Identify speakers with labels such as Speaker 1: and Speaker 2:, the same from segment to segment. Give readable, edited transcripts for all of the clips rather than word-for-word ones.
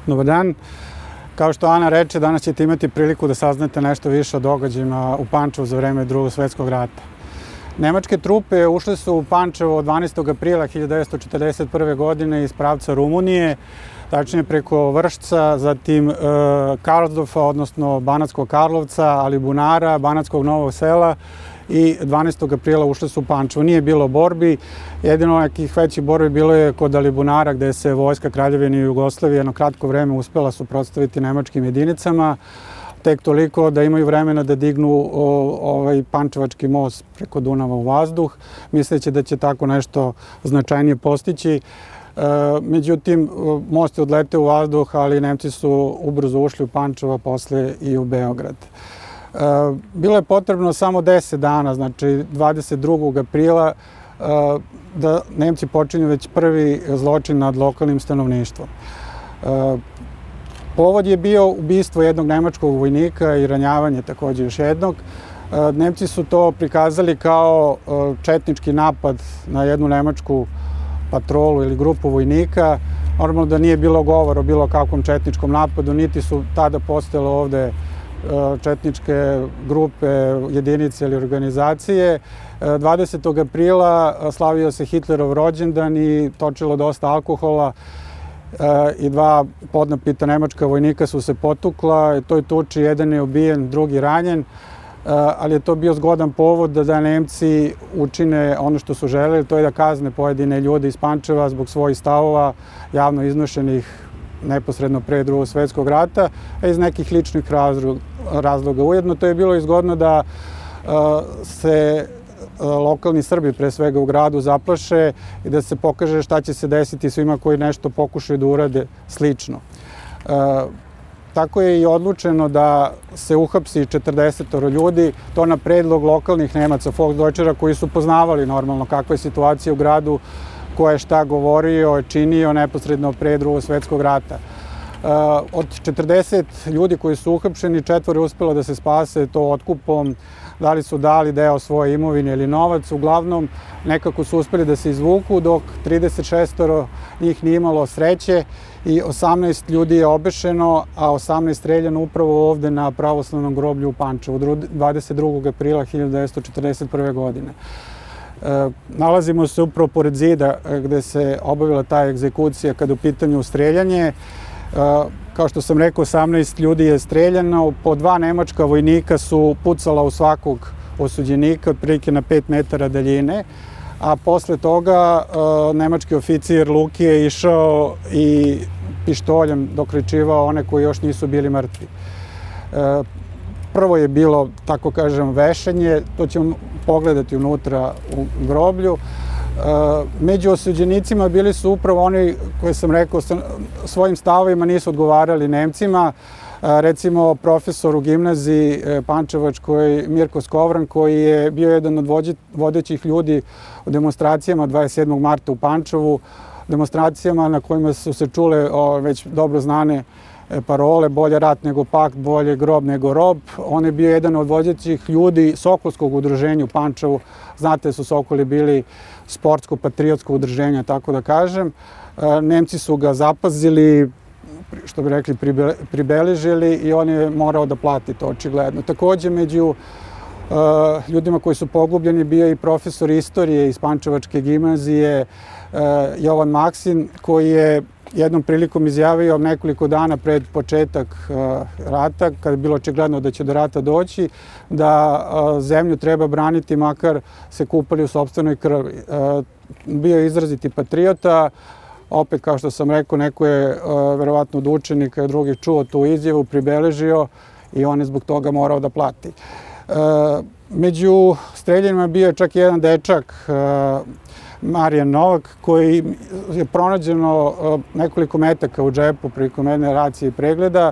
Speaker 1: Dobar dan. Kao što Ana reče, danas ćete imati priliku da saznate nešto više o događajima u Pančevu za vreme Drugog svetskog rata. Nemačke trupe ušle su u Pančevo 12. aprila 1941. godine iz pravca Rumunije, tačnije preko Vršca, zatim Karlsdorfa, odnosno Banatskog Karlovca, Alibunara, Banatskog Novog Sela i 12. aprila ušle su u Pančevo. Nije bilo borbi, jedino nekih većih borbi bilo je kod Alibunara gde se vojska Kraljevine Jugoslavije jedno kratko vreme uspela suprotstaviti nemačkim jedinicama, tek toliko da imaju vremena da dignu ovaj pančevački most preko Dunava u vazduh, misleći da će tako nešto značajnije postići. Međutim, most je odleteo u vazduh, ali Nemci su ubrzo ušli u Pančevo, a posle i u Beograd. Bilo je potrebno samo 10 dana, znači 22. aprila, da Nemci počinju već prvi zločin nad lokalnim stanovništvom. Povod je bio ubistvo jednog nemačkog vojnika i ranjavanje takođe još jednog. Nemci su to prikazali kao četnički napad na jednu nemačku patrolu ili grupu vojnika. Normalno da nije bilo govora o bilo kakvom četničkom napadu, niti su tada postojale ovde četničke grupe, jedinice ili organizacije. 20. aprila slavio se Hitlerov rođendan i točilo dosta alkohola i dva podnapita nemačka vojnika su se potukla. U toj tuči jedan je ubijen, drugi ranjen, ali je to bio zgodan povod da Nemci učine ono što su želeli, to je da kazne pojedine ljude iz Pančeva zbog svojih stavova javno iznošenih neposredno pre Drugog svetskog rata, a iz nekih ličnih razloga. Ujedno to je bilo izgodno da se lokalni Srbi, pre svega u gradu, zaplaše i da se pokaže šta će se desiti svima koji nešto pokušaju da urade slično. Tako je i odlučeno da se uhapsi 40 ljudi, to na predlog lokalnih Nemaca, Volksdeutschera, koji su poznavali normalno kakva je situacija u gradu, ko je šta govorio, činio neposredno pre Drugog svetskog rata. Od 40 ljudi koji su uhapšeni, 4 je uspelo da se spase to otkupom, da li su dali deo svoje imovine ili novac, uglavnom nekako su uspeli da se izvuku, dok 36 njih nije imalo sreće i 18 ljudi je obešeno, a 18 streljano upravo ovde na pravoslavnom groblju u Pančevu 22. aprila 1941. godine. Nalazimo se upravo pored zida gde se obavila ta egzekucija kada u pitanju streljanje. Kao što sam rekao, 18 ljudi je streljano, po 2 nemačka vojnika su pucala u svakog osuđenika, otprilike na 5 metara daljine, a posle toga nemački oficir Luki je išao i pištoljem dokrećivao one koji još nisu bili mrtvi. Prvo je bilo, tako kažem, vešanje, to ćemo pogledati unutra u groblju. Među osuđenicima bili su upravo oni koji sam rekao svojim stavovima nisu odgovarali Nemcima. Recimo profesor u gimnaziji pančevačkoj Mirko Skovran, koji je bio jedan od vodećih ljudi u demonstracijama 27. marta u Pančevu, demonstracijama na kojima su se čule već dobro znane parole, bolje rat nego pakt, bolje grob nego rob. On je bio jedan od vodećih ljudi Sokolskog udruženja u Pančevu. Znate, su Sokoli bili sportsko-patriotsko udruženje, tako da kažem. Nemci su ga zapazili, što bi rekli, pribeležili i on je morao da plati to očigledno. Takođe, među ljudima koji su pogubljeni bio i profesor istorije iz Pančevačke gimnazije Jovan Maksin, koji je jednom prilikom izjavio nekoliko dana pred početak rata, kada je bilo očigledno da će do rata doći, da zemlju treba braniti makar se kupali u sopstvenoj krvi. Bio je izraziti patriota, opet kao što sam rekao, neko je verovatno od učenika i drugih čuo tu izjavu, pribeležio i on je zbog toga morao da plati. Među streljanima bio je čak jedan dečak, Marijan Novak, koji je pronađeno nekoliko metaka u džepu prilikom jedne racije i pregleda.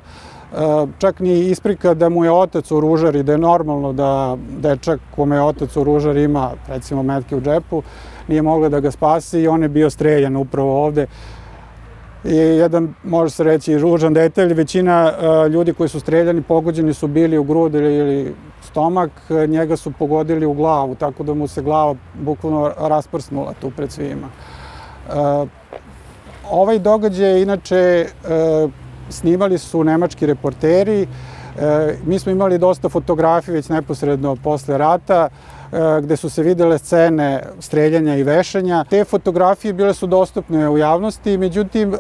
Speaker 1: Čak ni isprika da mu je otac oružar i da je normalno da dečak kome je otac oružar ima, recimo, metke u džepu, nije mogla da ga spasi i on je bio streljan upravo ovde. I jedan, može se reći, ružan detalj, većina ljudi koji su streljani pogođeni su bili u grudi ili stomak, njega su pogodili u glavu, tako da mu se glava bukvalno rasprsnula tu pred svima. Ovaj događaj je inače snimali su nemački reporteri. Mi smo imali dosta fotografija već neposredno posle rata, gde su se videle scene streljanja i vešanja. Te fotografije bile su dostupne u javnosti, međutim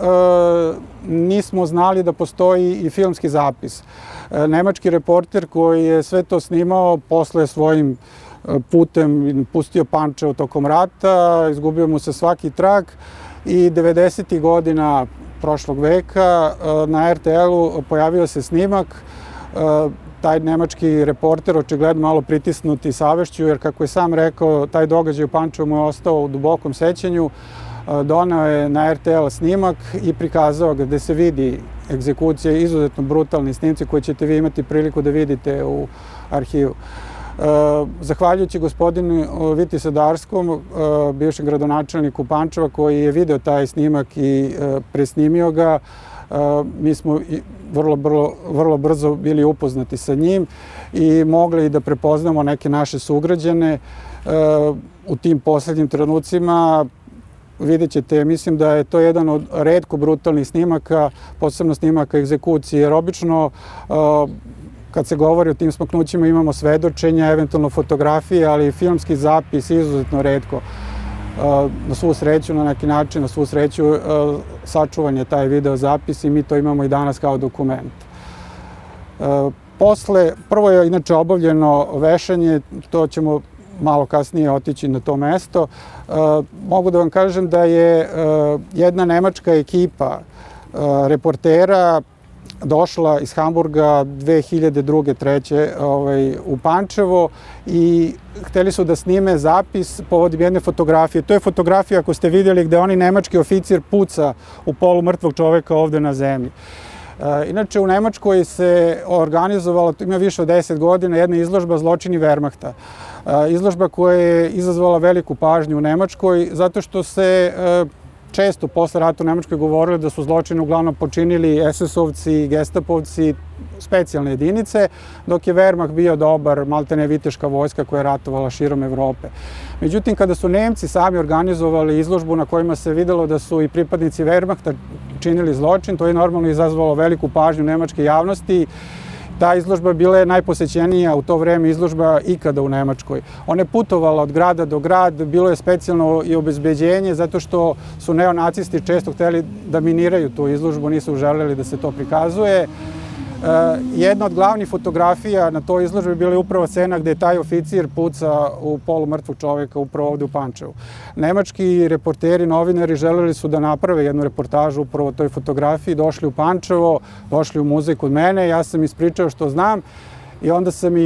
Speaker 1: nismo znali da postoji i filmski zapis. Nemački reporter koji je sve to snimao posle svojim putem pustio Pančevo tokom rata, izgubio mu se svaki trag i 90. godina prošlog veka na RTL-u pojavio se snimak. Taj nemački reporter, očigledno malo pritisnuti savešću, jer kako je sam rekao, taj događaj u Pančevu mu je ostao u dubokom sećanju, doneo je na RTL snimak i prikazao ga gde se vidi egzekucija, izuzetno brutalni snimci koji ćete vi imati priliku da vidite u arhivu. Zahvaljujući gospodinu Viti Sadarskom, bivšem gradonačelniku Pančeva, koji je video taj snimak i presnimio ga, mi smo vrlo brzo bili upoznati sa njim i mogli da prepoznamo neke naše sugrađane u tim poslednjim trenucima. Vidjet ćete, mislim da je to jedan od retko brutalnih snimaka, posebno snimaka egzekucije, jer obično kad se govori o tim smaknućima imamo svedočenja, eventualno fotografije, ali filmski zapis izuzetno retko. Na svu sreću, na neki način, na svu sreću sačuvan je taj video zapis i mi to imamo i danas kao dokument. Prvo je inače obavljeno vešanje, to ćemo malo kasnije otići na to mesto. Mogu da vam kažem da je jedna nemačka ekipa reportera došla iz Hamburga 2002-2003 u Pančevo i hteli su da snime zapis povodom jedne fotografije. To je fotografija, ako ste vidjeli, gde oni nemački oficir puca u polu mrtvog čoveka ovde na zemlji. Inače, u Nemačkoj se organizovala, ima više od 10 godina, jedna izložba Zločini Wehrmachta. Izložba koja je izazvala veliku pažnju u Nemačkoj, zato što se često posle rata u Nemačkoj govorili da su zločine uglavnom počinili SS-ovci, gestapovci, specijalne jedinice, dok je Wehrmacht bio dobar, maltene viteška vojska koja je ratovala širom Evrope. Međutim, kada su Nemci sami organizovali izložbu na kojima se videlo da su i pripadnici Wehrmachta činili zločin, to je normalno izazvalo veliku pažnju nemačke javnosti. Ta izložba bila je najposećenija u to vreme izložba ikada u Nemačkoj. Ona je putovala od grada do grad, bilo je specijalno i obezbeđenje zato što su neonacisti često hteli da miniraju tu izložbu, nisu želeli da se to prikazuje. Jedna od glavnih fotografija na toj izložbi bila je upravo scena gde je taj oficir puca u polu mrtvog čoveka upravo ovde u Pančevu. Nemački reporteri, novinari želeli su da naprave jednu reportažu upravo o toj fotografiji, došli u Pančevo, došli u muzej kod mene, ja sam ispričao što znam i onda sam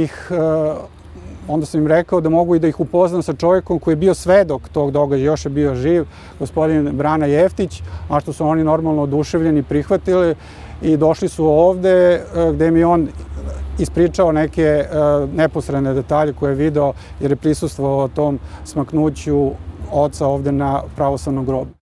Speaker 1: im rekao da mogu i da ih upoznam sa čovjekom koji je bio svedok tog događaja, još je bio živ, gospodin Brana Jeftić, a što su oni normalno oduševljeni prihvatili i došli su ovde gde mi on ispričao neke neposredne detalje koje je video jer je prisustvovao tom smaknuću oca ovde na pravoslavnom grobu.